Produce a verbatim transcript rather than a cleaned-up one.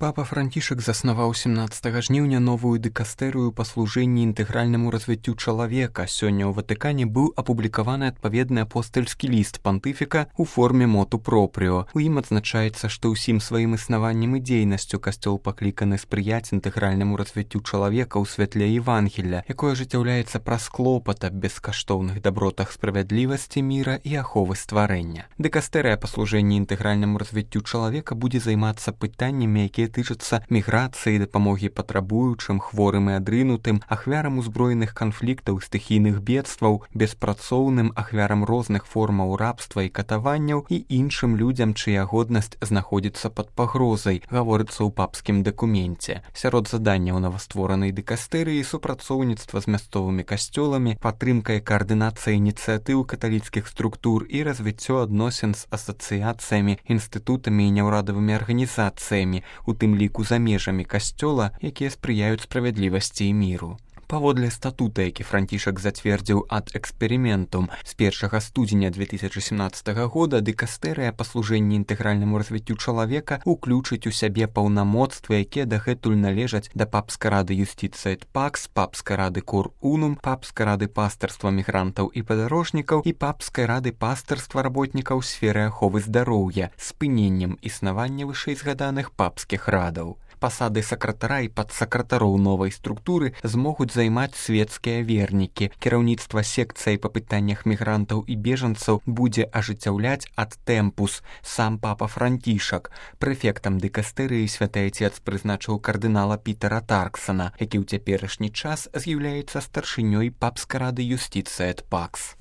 Папа Францішак заснаваў семнаццатага жніўня новую дыкастэрыю па служэнні інтэгральнаму развіццю чалавека. Сёння ў Ватыкане быў апублікаваны адпаведны апостальскі ліст пантыфіка ў форме моту пропрыо. У ім адзначаецца, што ўсім сваім існаваннем і дзейнасцю касцёл пакліканы спрыяць інтэгральнаму развіццю чалавека ў святле Евангелля, якое ажыццяўляецца праз клопат аб бескаштоўных дабротах справядлівасці, міра і аховы стварэння. Дыкастэрыя па служэнні інтэгральнаму развіццю чалавека будзе займацца пытаннямі, якія тычацца міграцыі, дапамогі патрабуючым, хворым і адрынутым, ахвярам узброеных канфліктаў, стыхійных бедстваў, беспрацоўным, ахвярам розных формаў рабства і катаванняў і іншым людзям, чыя годнасць знаходзіцца пад пагрозай, гаворыцца ў папскім дакуменце. Сярод заданняў новастворанай дыкастэрыі супрацоўніцтва з мясцовымі касцёламі, падтрымка і каардынацыя ініцыятыў каталіцкіх структур і развіццё адносін з асацыяцыямі, інстытутамі і няўрадавымі арганізацыямі, у тым ліку за межамі касцёла, якія спрыяюць справядлівасці і міру. Паводле статута, які Францішак зацвердзіў ад эксперыментум з першага студзеня две тысячы семнаццатага года, дыкастэрыя па служэнні інтэгральнаму развіццю чалавека ўключыць у сябе паўнамоцтвы, якія дагэтуль належаць да папскай рады Юстиция et Pax, папскай рады Cor Unum, папскай рады пастырства мігрантаў і падарожнікаў і папскай рады пастырства работнікаў сферы аховы здароўя, спыненнем існавання вышэйзгаданых папскіх радаў. Пасады сакратара і падсакратароў новай структуры змогуць займаць свецкія вернікі. Кіраўніцтва секцыяй па пытаннях мігрантаў і бежанцаў будзе ажыццяўляць ад тэмпус сам папа Францішак. Прэфектам дыкастэрыі святы Айцец прызначыў кардынала Пітера Тарксана, які ў цяперашні час з'яўляецца старшынёй папскай рады Юстиция et Pax.